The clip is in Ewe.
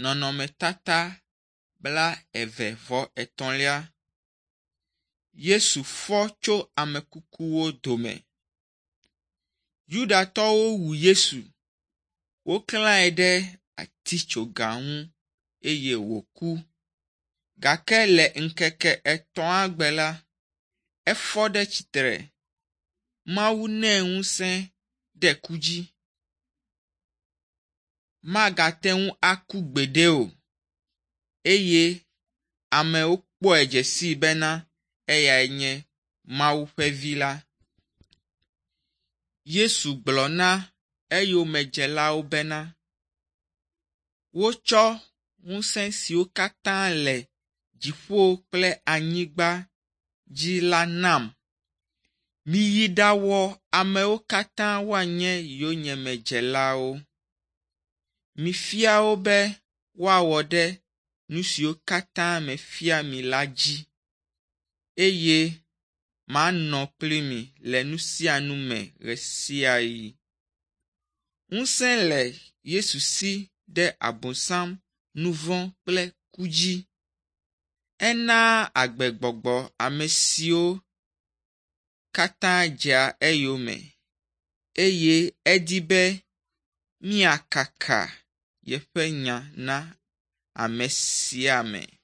Nɔnɔmetata blaeve vɔ etɔ̃lia. Yesu fɔ tso ame kukuwo dome. Yudatɔwo wu Yesu. Woklae ɖe atsitsoga ŋu eye wòku gake le ŋkeke etɔ̃a gbe la, efɔ ɖe tsitre. Mawu nɛ ŋusẽ ɖe ku dzi. Magate ŋu aku gbeɖe o eye amewo kpɔe dze sii bena eyae nye Mawu ƒe vi la. Yesu gblɔ na eyomedzelawo bena, wotsɔ ŋusẽ siwo katã le dziƒo kple anyigba dzi la nam. Miyi ɖawɔ amewo katã woanye yonyemedzelawo. Mifia wo be woawɔ ɖe nu siwo katã mefia mi la dzi eye manɔ kpli mi le nu sia nu me ɣe sia ɣi. Ŋusẽ le Yesu si ɖe Abosam, nu vɔ̃ kple ku dzi. Enaa agbegbɔgbɔ ame siwo katã dzea eyome eye edi be míakaka yeƒe nya na ame sia ame.